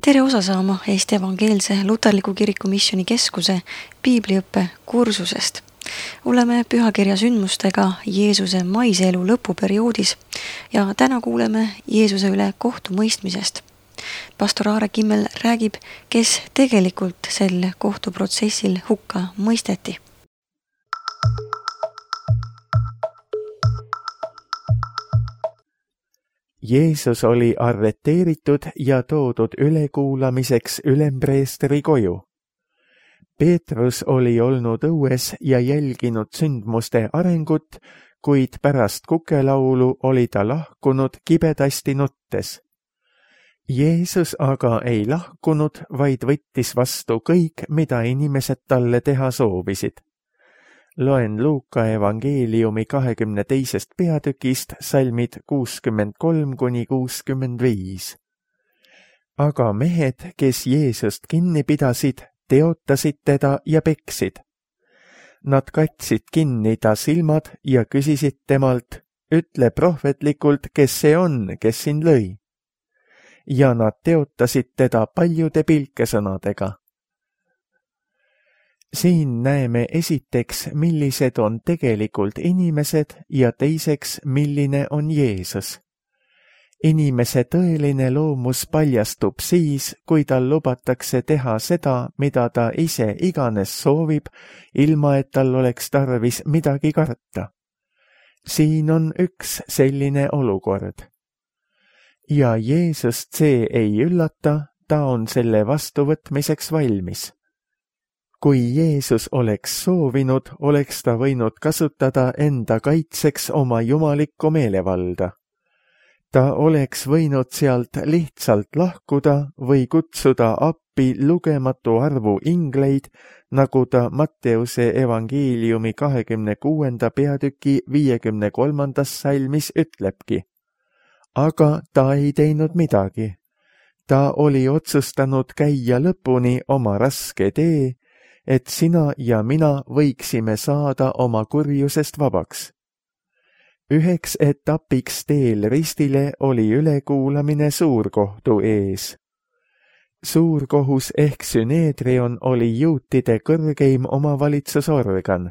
Tere osa saama Eesti Evangeelse Luterliku Kiriku Missioni Keskuse piibliõppe kursusest. Oleme pühakirja sündmustega Jeesuse maise elu lõpuperioodis ja täna kuuleme Jeesuse üle kohtumõistmisest. Pastor Aare Kimmel räägib, kes tegelikult sel kohtuprotsessil hukka mõisteti. Jeesus oli arreteeritud ja toodud ülekuulamiseks ülempreestri koju. Peetrus oli olnud õues ja jälginud sündmuste arengut, kuid pärast kukelaulu oli ta lahkunud kibedasti nuttes. Jeesus aga ei lahkunud, vaid võttis vastu kõik, mida inimesed talle teha soovisid. Loen Luuka evangeeliumi 22. peatükist salmid 63–65. Aga mehed, kes Jeesust kinni pidasid, teotasid teda ja peksid. Nad katsid kinni ta silmad ja küsisid temalt, ütle prohvetlikult, kes see on, kes sind lõi. Ja nad teotasid teda paljude pilkesõnadega. Siin näeme esiteks, millised on tegelikult inimesed ja teiseks, milline on Jeesus. Inimese tõeline loomus paljastub siis, kui tal lubatakse teha seda, mida ta ise iganes soovib, ilma et tal oleks tarvis midagi karta. Siin on üks selline olukord. Ja Jeesust see ei üllata, ta on selle vastuvõtmiseks valmis. Kui Jeesus oleks soovinud, oleks ta võinud kasutada enda kaitseks oma jumalikku meelevalda. Ta oleks võinud sealt lihtsalt lahkuda või kutsuda appi lugematu arvu ingleid, nagu ta Matteuse evangeeliumi 26. peatüki 53. salmis ütlebki. Aga ta ei teinud midagi. Ta oli otsustanud käia lõpuni oma raske tee, et sina ja mina võiksime saada oma kurjusest vabaks. Üheks etapiks teel ristile oli ülekuulamine suurkohtu ees. Suurkohus ehk Süneedrion oli juutide kõrgeim omavalitsusorgan.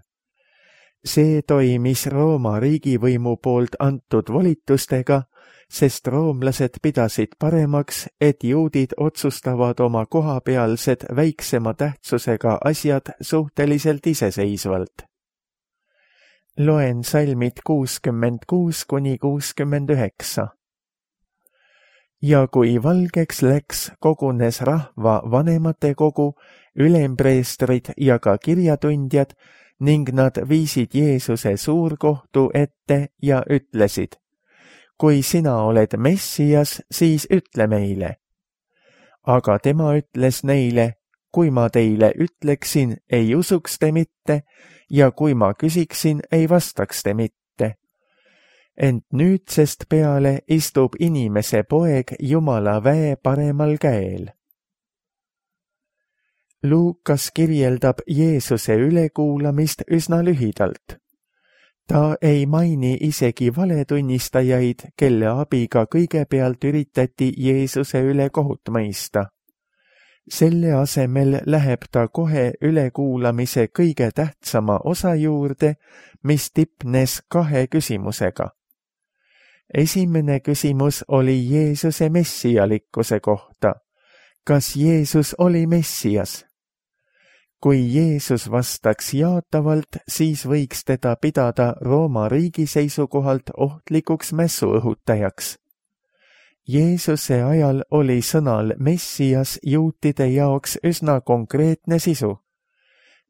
See toimis Rooma riigivõimu poolt antud volitustega, sest roomlased pidasid paremaks, et juudid otsustavad oma kohapealsed väiksema tähtsusega asjad suhteliselt iseseisvalt. Loen salmid 66–69. Ja kui valgeks läks, kogunes rahva vanematekogu, ülempreestrid ja ka kirjatundjad ning nad viisid Jeesuse suurkohtu ette ja ütlesid, kui sina oled Messias, siis ütle meile. Aga tema ütles neile, kui ma teile ütleksin, ei usuks te mitte, ja kui ma küsiksin, ei vastaks te mitte. Ent nüüdsest peale istub inimese poeg Jumala väe paremal käel. Luukas kirjeldab Jeesuse ülekuulamist üsna lühidalt. Ta ei maini isegi valetunnistajaid, kelle abiga kõigepealt üritati Jeesuse üle kohut mõista. Selle asemel läheb ta kohe ülekuulamise kõige tähtsama osa juurde, mis tipnes 2 küsimusega. Esimene küsimus oli Jeesuse messialikkuse kohta. Kas Jeesus oli Messias? Kui Jeesus vastaks jaatavalt, siis võiks teda pidada Rooma riigi seisukohalt ohtlikuks mässuõhutajaks. Jeesuse ajal oli sõnal Messias juutide jaoks üsna konkreetne sisu.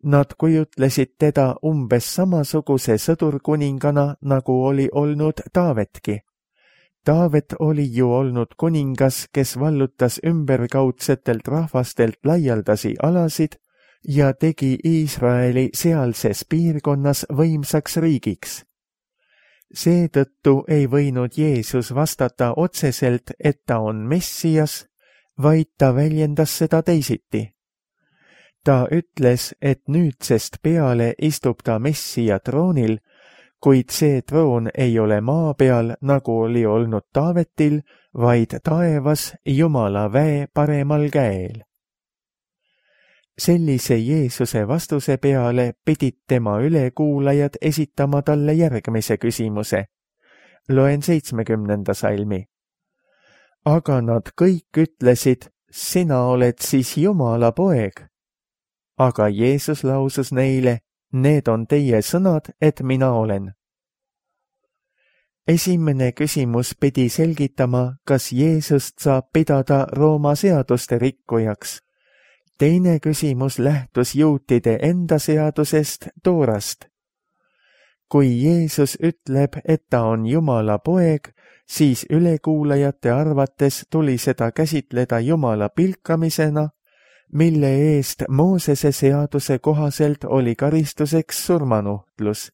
Nad kujutlesid teda umbes samasuguse sõdurkuningana, nagu oli olnud Taavetki. Taavet oli ju olnud kuningas, kes vallutas ümberkaudsetelt rahvastelt laialdasi alasid ja tegi Iisraeli sealses piirkonnas võimsaks riigiks. Seetõttu ei võinud Jeesus vastata otseselt, et ta on Messias, vaid ta väljendas seda teisiti. Ta ütles, et nüüdsest peale istub ta Messia troonil, kuid see troon ei ole maa peal, nagu oli olnud Taavetil, vaid taevas Jumala väe paremal käel. Sellise Jeesuse vastuse peale pidid tema ülekuulajad esitama talle järgmise küsimuse. Loen 70. salmi. Aga nad kõik ütlesid, sina oled siis Jumala poeg. Aga Jeesus lausus neile, need on teie sõnad, et mina olen. Esimene küsimus pidi selgitama, kas Jeesust saab pidada Rooma seaduste rikkujaks. Teine küsimus lähtus juutide enda seadusest, Toorast. Kui Jeesus ütleb, et ta on Jumala poeg, siis ülekuulajate arvates tuli seda käsitleda Jumala pilkamisena, mille eest Moosese seaduse kohaselt oli karistuseks surmanuhtlus.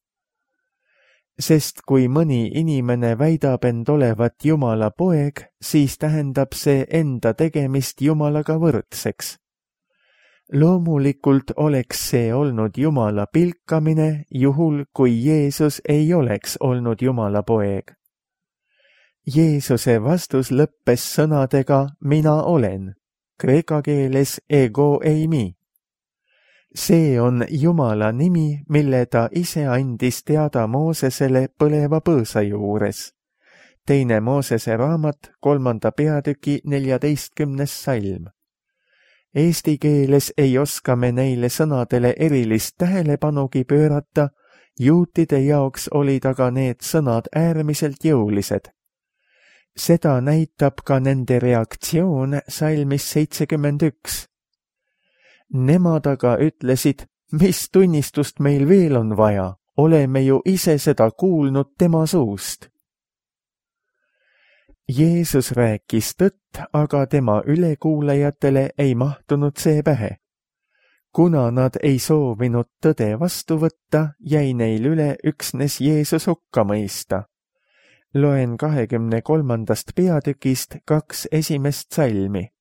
Sest kui mõni inimene väidab end olevat Jumala poeg, siis tähendab see enda tegemist Jumalaga võrdseks. Loomulikult oleks see olnud Jumala pilkamine, juhul kui Jeesus ei oleks olnud Jumala poeg. Jeesuse vastus lõppes sõnadega mina olen, kreeka keeles ego eimi. See on Jumala nimi, mille ta ise andis teada Moosesele põleva põõsa juures. Teine Moosese raamat, 3. peatüki 14. salm. Eesti keeles ei oska me neile sõnadele erilist tähelepanugi pöörata, juutide jaoks olid aga need sõnad äärmiselt jõulised. Seda näitab ka nende reaktsioon salmis 71. Nemad aga ütlesid, mis tunnistust meil veel on vaja, oleme ju ise seda kuulnud tema suust. Jeesus rääkis tõtt, aga tema ülekuulajatele ei mahtunud see pähe. Kuna nad ei soovinud tõde vastu võtta, jäi neil üle üksnes Jeesus hukka mõista. Loen 23. peatükist 2 esimest salmi.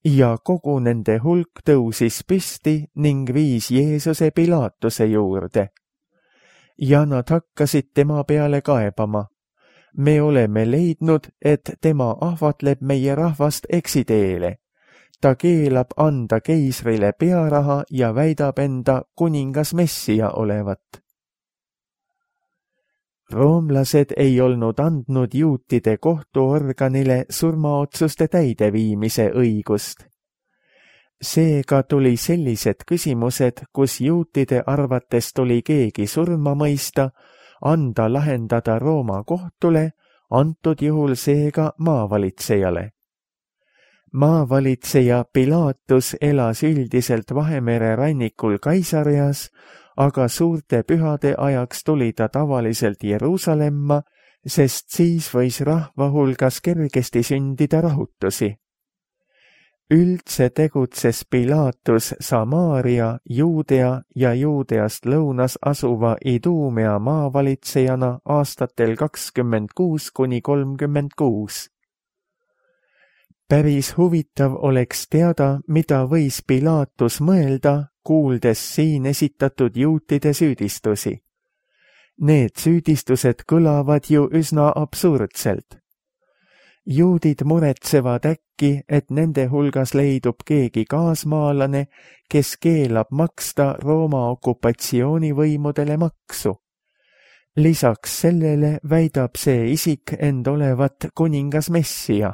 Ja kogu nende hulk tõusis püsti ning viis Jeesuse Pilaatuse juurde. Ja nad hakkasid tema peale kaebama. Me oleme leidnud, et tema ahvatleb meie rahvast eksiteele. Ta keelab anda keisrile pearaha ja väidab enda kuningas Messia olevat. Roomlased ei olnud andnud juutide kohtuorganile surmaotsuste täideviimise õigust. Seega tuli sellised küsimused, kus juutide arvates tuli keegi surma mõista, anda lahendada Rooma kohtule, antud juhul seega maavalitsejale. Maavalitseja Pilaatus elas üldiselt Vahemere rannikul Kaisarias, aga suurte pühade ajaks tuli ta tavaliselt Jeruusalemma, sest siis võis rahva hulgas kergesti sündida rahutusi. Üldse tegutses Pilaatus Samaaria, Juudea ja Juudeast lõunas asuva Iduumea maavalitsejana aastatel 26–36. Päris huvitav oleks teada, mida võis Pilaatus mõelda, kuuldes siin esitatud juutide süüdistusi. Need süüdistused kõlavad ju üsna absurdselt. Juudid muretsevad äkki, et nende hulgas leidub keegi kaasmaalane, kes keelab maksta Rooma okupatsioonivõimudele maksu. Lisaks sellele väidab see isik end olevat kuningas Messia.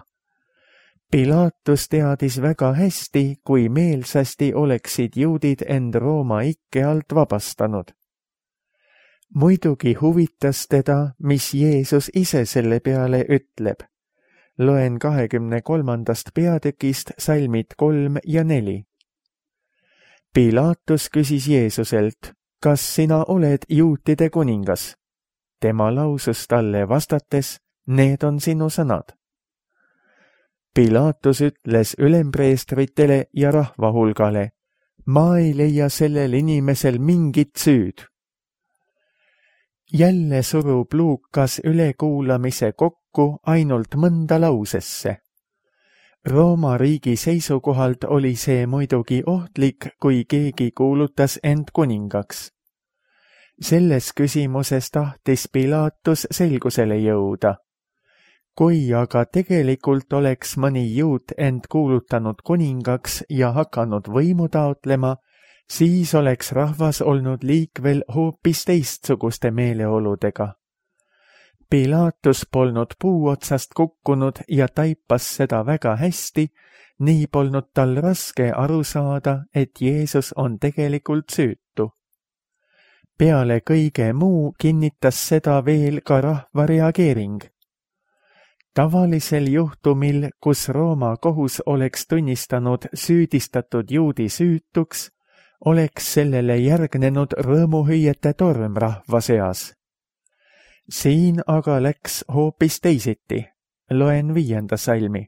Pilaatus teadis väga hästi, kui meelsasti oleksid juudid end Rooma ikke alt vabastanud. Muidugi huvitas teda, mis Jeesus ise selle peale ütleb. Loen 23. peatükist salmid 3 ja 4. Pilaatus küsis Jeesuselt, kas sina oled juutide kuningas? Tema lausus talle vastates, need on sinu sõnad. Pilaatus ütles ülempreestritele ja rahvahulgale, ma ei leia sellel inimesel mingit süüd. Jälle surub Luukas ülekuulamise kokku ainult mõnda lausesse. Rooma riigi seisukohalt oli see muidugi ohtlik, kui keegi kuulutas end kuningaks. Selles küsimuses tahtis Pilatus selgusele jõuda. Kui aga tegelikult oleks mõni juut end kuulutanud kuningaks ja hakanud võimu taotlema, siis oleks rahvas olnud liikvel hoopis teistsuguste meeleoludega. Pilatus polnud puu otsast kukkunud ja taipas seda väga hästi, nii polnud tal raske aru saada, et Jeesus on tegelikult süütu. Peale kõige muu kinnitas seda veel ka rahva reageering. Tavalisel juhtumil, kus Rooma kohus oleks tunnistanud süüdistatud juudi süütuks, oleks sellele järgnenud rõõmuhüüete torm rahva seas. Siin aga läks hoopis teisiti. Loen 5. salmi.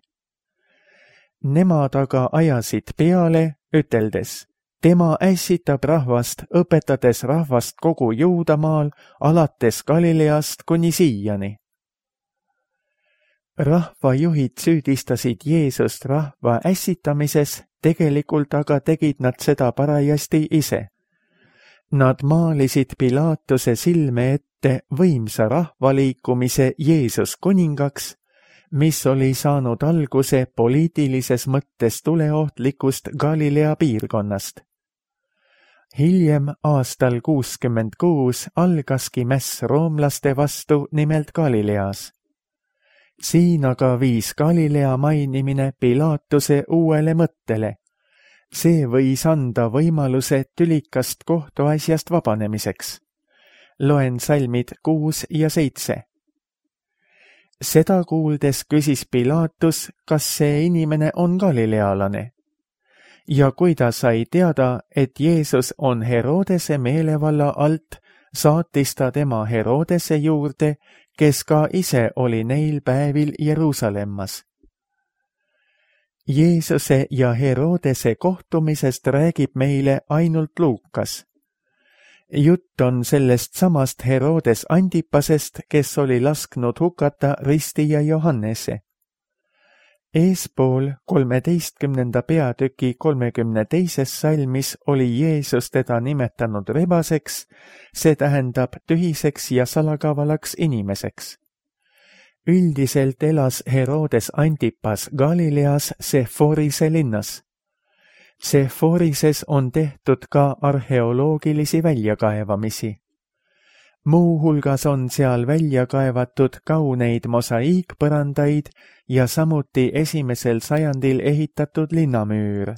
Nemad aga ajasid peale, üteldes, tema ässitab rahvast, õpetades rahvast kogu Juudamaal, alates Galileast kuni siiani. Rahvajuhid süüdistasid Jeesust rahva ässitamises, tegelikult aga tegid nad seda parajasti ise. Nad maalisid Pilatuse silme ette võimsa rahvaliikumise Jeesus kuningaks, mis oli saanud alguse poliitilises mõttes tuleohtlikust Galilea piirkonnast. Hiljem aastal 66 algaski mäss roomlaste vastu nimelt Galileas. Siin aga viis Galilea mainimine Pilatuse uuele mõttele. See võis anda võimaluse tülikast kohtuasjast vabanemiseks. Loen salmid 6 ja 7. Seda kuuldes küsis Pilatus, kas see inimene on galilealane. Ja kui ta sai teada, et Jeesus on Herodese meelevalla alt, saatis ta tema Herodese juurde, kes ka ise oli neil päevil Jeruusalemmas. Jeesuse ja Herodese kohtumisest räägib meile ainult Luukas. Jutt on sellest samast Herodes Antipasest, kes oli lasknud hukata ristija Johannese. Eespool 13. peatüki 32. salmis oli Jeesus teda nimetanud rebaseks, see tähendab tühiseks ja salakavalaks inimeseks. Üldiselt elas Herodes Antipas Galileas Sephorise linnas. Sephorises on tehtud ka arheoloogilisi väljakaevamisi. Muu hulgas on seal välja kaevatud kauneid mosaiikpõrandaid ja samuti 1. sajandil ehitatud linnamüür.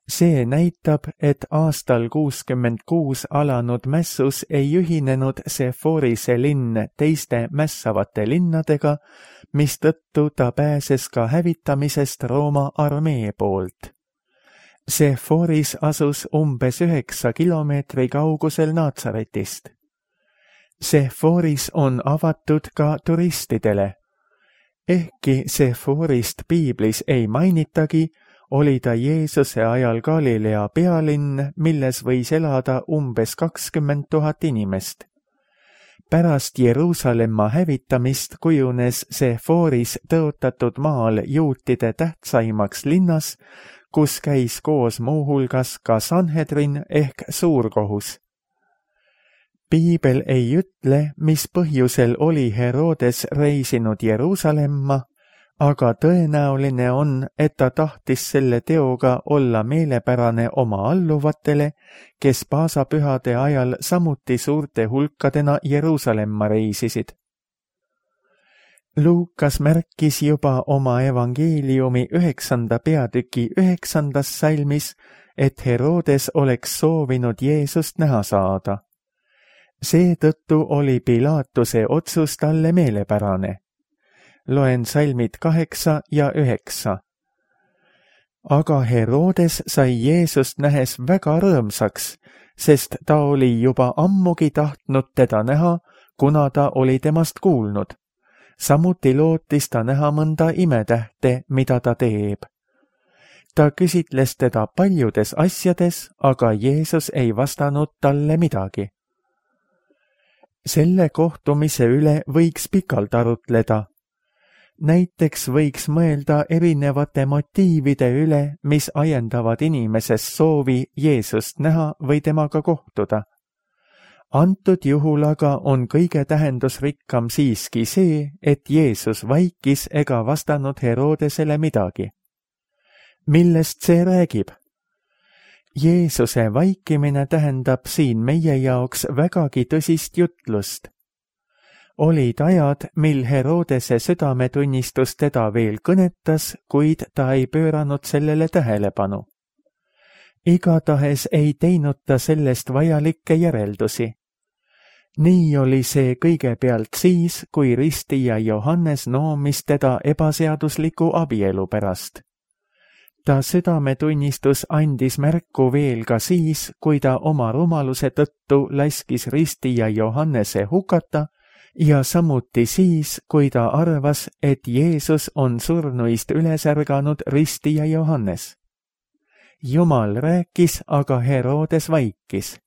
See näitab, et aastal 66 alanud mässus ei ühinenud Sephorise linn teiste mässavate linnadega, mistõttu ta pääses ka hävitamisest Rooma armee poolt. Sephoris asus umbes 9 kilomeetri kaugusel Naatsaretist. Sephoris on avatud ka turistidele. Ehkki Sephorist piiblis ei mainitagi, oli ta Jeesuse ajal Galilea pealinn, milles võis elada umbes 20 000 inimest. Pärast Jeruusalemma hävitamist kujunes Sephoris tõotatud maal juutide tähtsaimaks linnas, kus käis koos muu hulgas ka Sanhedrin ehk suurkohus. Piibel ei ütle, mis põhjusel oli Herodes reisinud Jeruusalemma, aga tõenäoline on, et ta tahtis selle teoga olla meelepärane oma alluvatele, kes paasapühade ajal samuti suurte hulkadena Jeruusalemma reisisid. Luukas märkis juba oma evangeeliumi 9. peatüki 9. salmis, et Herodes oleks soovinud Jeesust näha saada. Seetõttu oli Pilatuse otsus talle meelepärane. Loen salmid 8 ja 9. Aga Herodes sai Jeesust nähes väga rõõmsaks, sest ta oli juba ammugi tahtnud teda näha, kuna ta oli temast kuulnud. Samuti lootis ta näha mõnda imetähte, mida ta teeb. Ta küsitles teda paljudes asjades, aga Jeesus ei vastanud talle midagi. Selle kohtumise üle võiks pikalt arutleda. Näiteks võiks mõelda erinevate motiivide üle, mis ajendavad inimeses soovi Jeesust näha või temaga kohtuda. Antud juhul aga on kõige tähendusrikkam siiski see, et Jeesus vaikis ega vastanud Herodesele midagi. Millest see räägib? Jeesuse vaikimine tähendab siin meie jaoks vägagi tõsist jutlust. Olid ajad, mil Herodese südametunnistus teda veel kõnetas, kuid ta ei pööranud sellele tähelepanu. Igatahes ei teinud ta sellest vajalikke järeldusi. Nii oli see kõigepealt siis, kui ristija Johannes noomis teda ebaseadusliku abielu pärast. Ta südametunnistus andis märku veel ka siis, kui ta oma rumaluse tõttu laskis ristija Johannese hukata ja samuti siis, kui ta arvas, et Jeesus on surnuist üles ärganud ristija Johannes. Jumal rääkis, aga Herodes vaikis.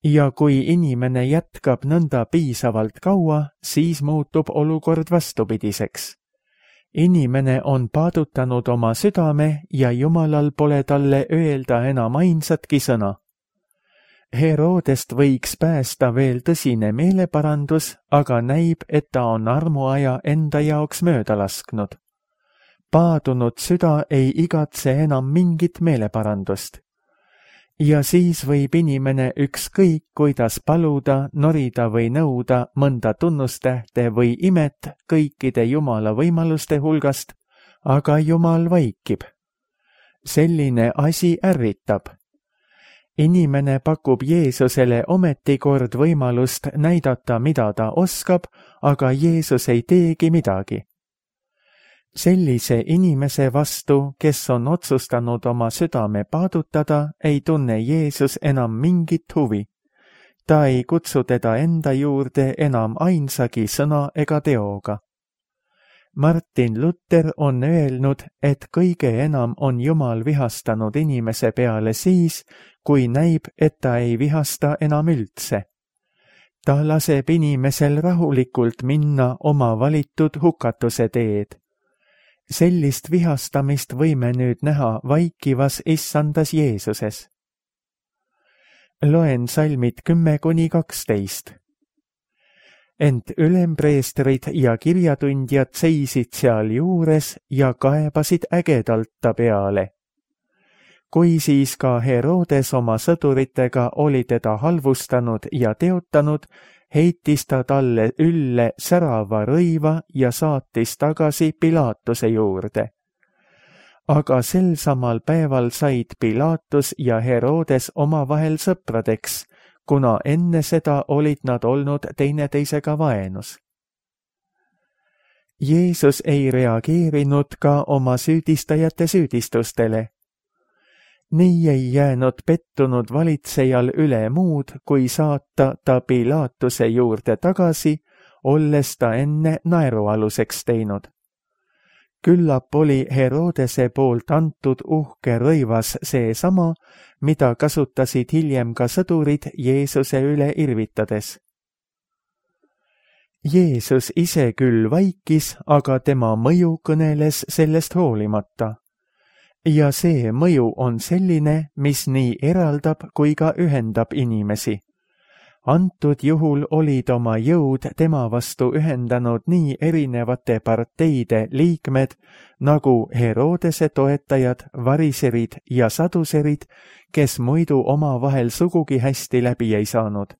Ja kui inimene jätkab nõnda piisavalt kaua, siis muutub olukord vastupidiseks. Inimene on paadutanud oma südame ja Jumalal pole talle öelda enam ainsatki sõna. Herodest võiks päästa veel tõsine meeleparandus, aga näib, et ta on armuaja enda jaoks mööda lasknud. Paadunud süda ei igatse enam mingit meeleparandust. Ja siis võib inimene ükskõik kuidas paluda, norida või nõuda mõnda tunnustähte või imet kõikide Jumala võimaluste hulgast, aga Jumal vaikib. Selline asi ärritab. Inimene pakub Jeesusele ometi kord võimalust näidata, mida ta oskab, aga Jeesus ei teegi midagi. Sellise inimese vastu, kes on otsustanud oma südame paadutada, ei tunne Jeesus enam mingit huvi. Ta ei kutsu teda enda juurde enam ainsagi sõna ega teoga. Martin Luther on öelnud, et kõige enam on Jumal vihastanud inimese peale siis, kui näib, et ta ei vihasta enam üldse. Ta laseb inimesel rahulikult minna oma valitud hukatuse teed. Sellist vihastamist võime nüüd näha vaikivas issandas Jeesuses. Loen salmid 10–12. Ent ülempreestrid ja kirjatundjad seisid seal juures ja kaebasid ägedalt ta peale. Kui siis ka Herodes oma sõduritega oli teda halvustanud ja teotanud, heitis ta talle ülle särava rõiva ja saatis tagasi Pilatuse juurde. Aga sel samal päeval said Pilatus ja Herodes omavahel sõpradeks, kuna enne seda olid nad olnud teineteisega vaenus. Jeesus ei reageerinud ka oma süüdistajate süüdistustele. Nii ei jäänud pettunud valitsejal üle muud, kui saata ta Pilatuse juurde tagasi, olles ta enne naerualuseks teinud. Küllap oli Herodese poolt antud uhke rõivas seesama, mida kasutasid hiljem ka sõdurid Jeesuse üle irvitades. Jeesus ise küll vaikis, aga tema mõju kõneles sellest hoolimata. Ja see mõju on selline, mis nii eraldab kui ka ühendab inimesi. Antud juhul olid oma jõud tema vastu ühendanud nii erinevate parteide liikmed nagu Herodese toetajad, variserid ja saduserid, kes muidu omavahel sugugi hästi läbi ei saanud.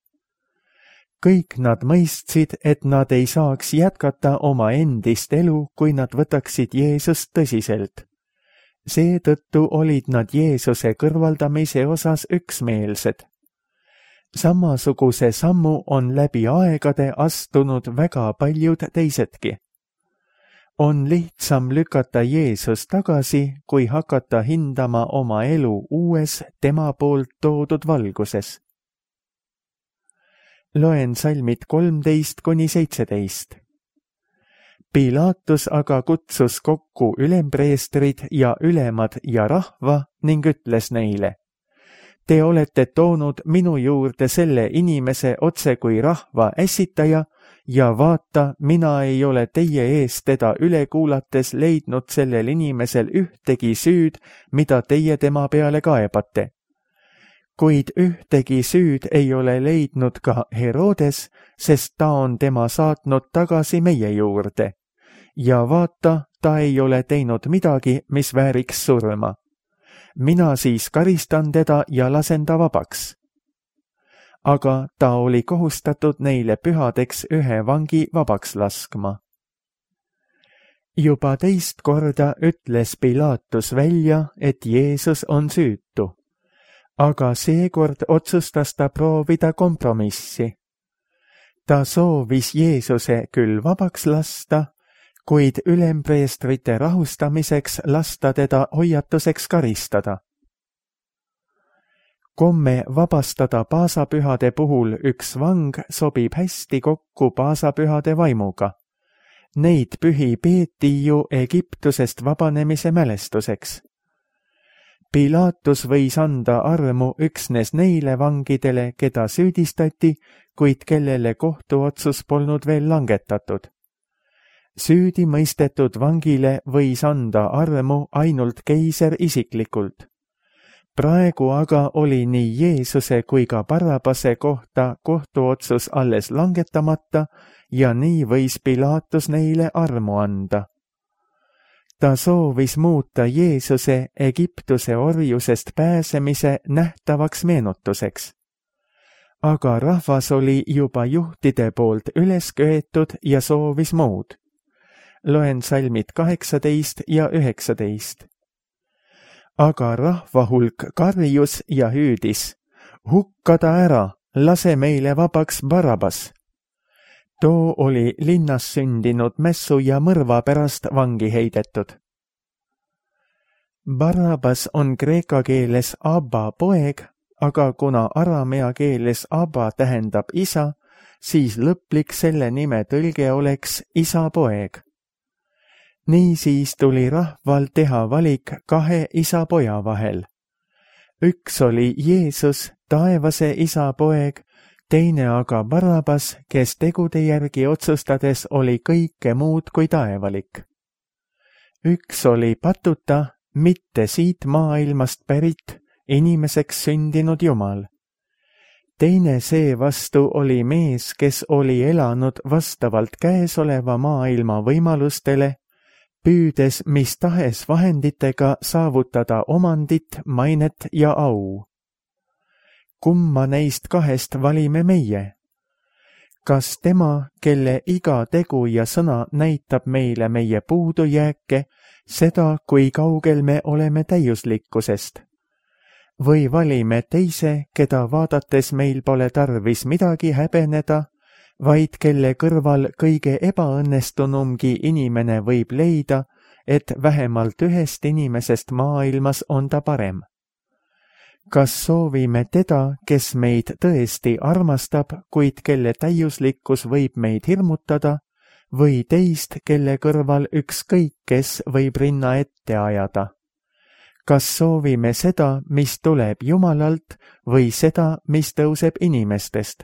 Kõik nad mõistsid, et nad ei saaks jätkata oma endist elu, kui nad võtaksid Jeesust tõsiselt. Seetõttu olid nad Jeesuse kõrvaldamise osas üksmeelsed. Samasuguse sammu on läbi aegade astunud väga paljud teisedki. On lihtsam lükata Jeesus tagasi, kui hakata hindama oma elu uues tema poolt toodud valguses. Loen salmid 13–17. Pilatus aga kutsus kokku ülempreestrid ja ülemad ja rahva ning ütles neile: Te olete toonud minu juurde selle inimese otse kui rahva ässitaja ja vaata, mina ei ole teie ees teda üle kuulates leidnud sellel inimesel ühtegi süüd, mida teie tema peale kaebate. kuid ühtegi süüd ei ole leidnud ka Herodes, sest ta on tema saatnud tagasi meie juurde. Ja vaata, ta ei ole teinud midagi, mis vääriks surma. Mina siis karistan teda ja lasen ta vabaks. Aga ta oli kohustatud neile pühadeks ühe vangi vabaks laskma. Juba teist korda ütles Pilatus välja, et Jeesus on süütu. Aga seekord otsustas ta proovida kompromissi. Ta soovis Jeesuse küll vabaks lasta, kuid ülempreestrite rahustamiseks lasta teda hoiatuseks karistada. Komme vabastada paasapühade puhul üks vang sobib hästi kokku paasapühade vaimuga. Neid pühi peeti ju Egiptusest vabanemise mälestuseks. Pilatus võis anda armu üksnes neile vangidele, keda süüdistati, kuid kellele kohtuotsus polnud veel langetatud. Süüdi mõistetud vangile võis anda armu ainult keiser isiklikult. Praegu aga oli nii Jeesuse kui ka Barrabase kohta kohtuotsus alles langetamata ja nii võis Pilatus neile armu anda. Ta soovis muuta Jeesuse Egiptuse orjusest pääsemise nähtavaks meenutuseks. Aga rahvas oli juba juhtide poolt üles köetud ja soovis muud. Loen salmid 18 ja 19. Aga rahva hulk karjus ja hüüdis, hukka ta ära, lase meile vabaks Barrabas. Too oli linnas sündinud mässu ja mõrva pärast vangi heidetud. Barrabas on kreeka keeles Abba poeg, aga kuna aramea keeles Abba tähendab isa, siis lõplik selle nime tõlge oleks isa poeg. Niisiis tuli rahval teha valik kahe isa poja vahel. Üks oli Jeesus, taevase isa poeg, teine aga Barrabas, kes tegude järgi otsustades oli kõike muud kui taevalik. Üks oli patuta, mitte siit maailmast pärit, inimeseks sündinud Jumal. Teine seevastu oli mees, kes oli elanud vastavalt käesoleva maailma võimalustele, püüdes mis tahes vahenditega saavutada omandit, mainet ja au. Kumma neist kahest valime meie? Kas tema, kelle iga tegu ja sõna näitab meile meie puudujääke, seda, kui kaugel me oleme täiuslikkusest? Või valime teise, keda vaadates meil pole tarvis midagi häbeneda, vaid kelle kõrval kõige ebaõnnestunumgi inimene võib leida, et vähemalt ühest inimesest maailmas on ta parem? Kas soovime teda, kes meid tõesti armastab, kuid kelle täiuslikkus võib meid hirmutada, või teist, kelle kõrval ükskõik kes võib rinna ette ajada? Kas soovime seda, mis tuleb Jumalalt, või seda, mis tõuseb inimestest?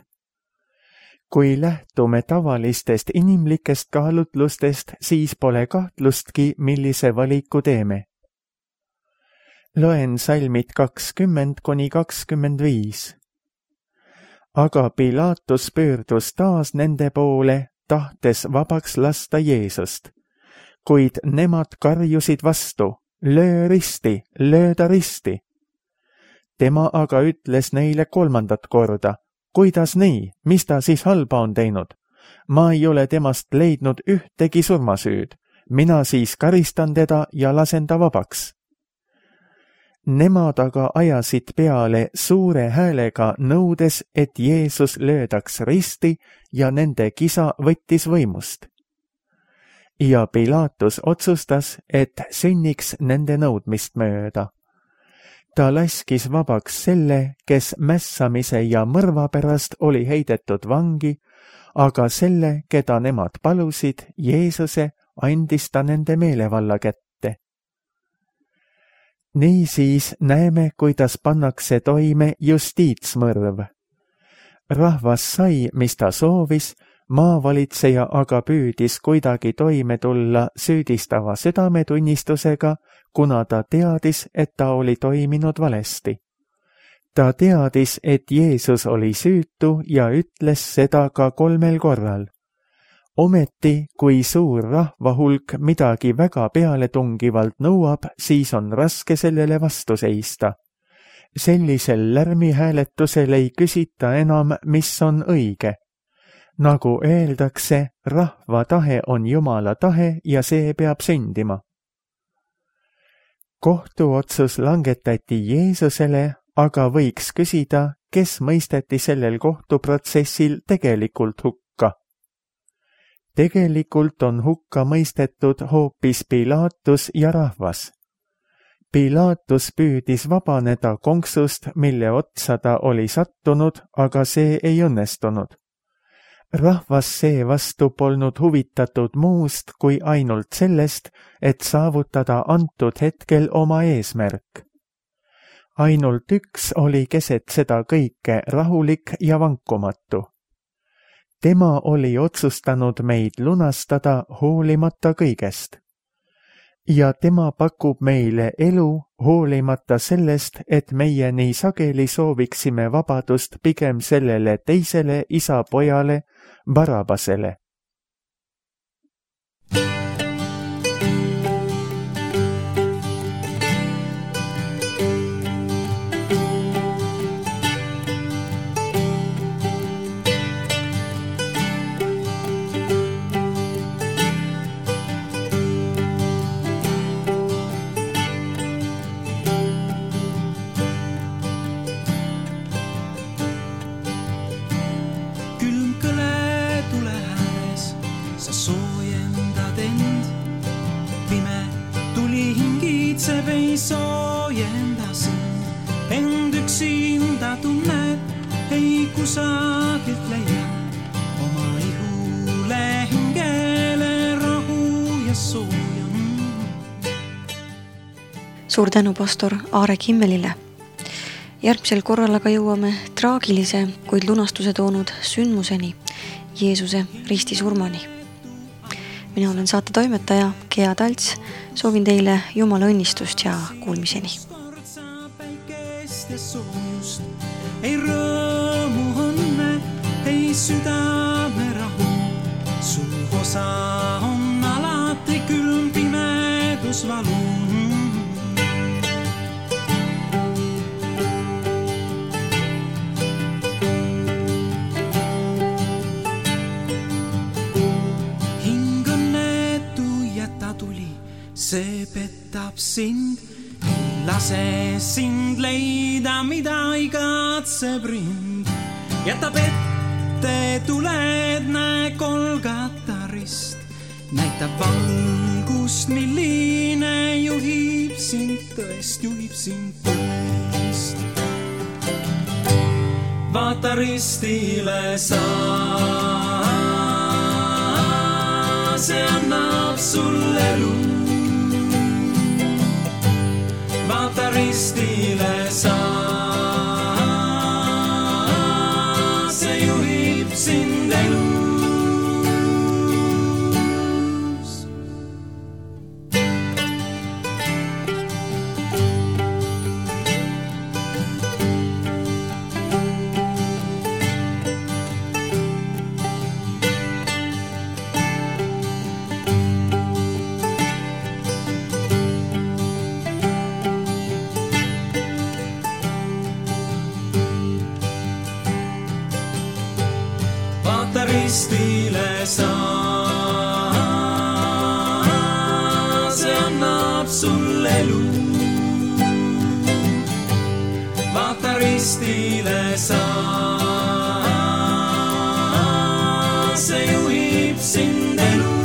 Kui lähtume tavalistest inimlikest kaalutlustest, siis pole kahtlustki, millise valiku teeme. Loen salmid 20–25. Aga Pilatus pöördus taas nende poole, tahtes vabaks lasta Jeesust. Kuid nemad karjusid vastu, löö risti, löö ta risti. Tema aga ütles neile kolmandat korda, kuidas nii, mis ta siis halba on teinud? Ma ei ole temast leidnud ühtegi surmasüüd, mina siis karistan teda ja lasen ta vabaks. Nemad aga ajasid peale suure häälega nõudes, et Jeesus löödaks risti ja nende kisa võttis võimust. Ja Pilatus otsustas, et sünniks nende nõudmist mööda. Ta laskis vabaks selle, kes mässamise ja mõrva pärast oli heidetud vangi, aga selle, keda nemad palusid, Jeesuse, andis ta nende meelevalla kätte. Niisiis näeme, kuidas pannakse toime justiitsmõrv. Rahvas sai, mis ta soovis, maavalitseja aga püüdis kuidagi toime tulla süüdistava südametunnistusega, kuna ta teadis, et ta oli toiminud valesti. Ta teadis, et Jeesus oli süütu ja ütles seda ka 3 korral. Ometi, kui suur rahvahulk midagi väga pealetungivalt nõuab, siis on raske sellele vastu seista. Sellisel lärmihääletusel ei küsita enam, mis on õige. Nagu öeldakse, rahva tahe on Jumala tahe ja see peab sündima. Kohtuotsus langetati Jeesusele, aga võiks küsida, kes mõisteti sellel kohtuprotsessil tegelikult hukka. Tegelikult on hukka mõistetud hoopis Pilatus ja rahvas. Pilatus püüdis vabaneda konksust, mille otsa ta oli sattunud, aga see ei õnnestunud. Rahvas seevastu polnud huvitatud muust kui ainult sellest, et saavutada antud hetkel oma eesmärk. Ainult üks oli keset seda kõike rahulik ja vankumatu. Tema oli otsustanud meid lunastada hoolimata kõigest. Ja tema pakub meile elu hoolimata sellest, et meie nii sageli sooviksime vabadust pigem sellele teisele isa-pojale, Barabasele. Ei soojenda sind, end üksinda tunned, ei kusagilt leia oma ihule hingele rahu ja sooja. Suur tänu pastor Aare Kimmelile. Järgmisel korral aga jõuame traagilise, kuid lunastuse toonud sündmuseni, Jeesuse ristisurmani. Mina olen saate toimetaja Gea Talts, soovin teile Jumala õnnistust ja kuulmiseni. Ei rõõmu õnne, ei südame rahu, su osa on alati külm pimedus valu. See petab sind, ei lase sind leida, mida igatseb rind. Jätab ette tuled, näe Golgata rist, näitab valgust, milline juhib sind tõest. Vaata ristile sa, see annab sulle elu. Vaata ristile sa, see juhib sind elus. Ristile sa, see annab sulle elu. Vaata ristile sa, see juhib sind elu.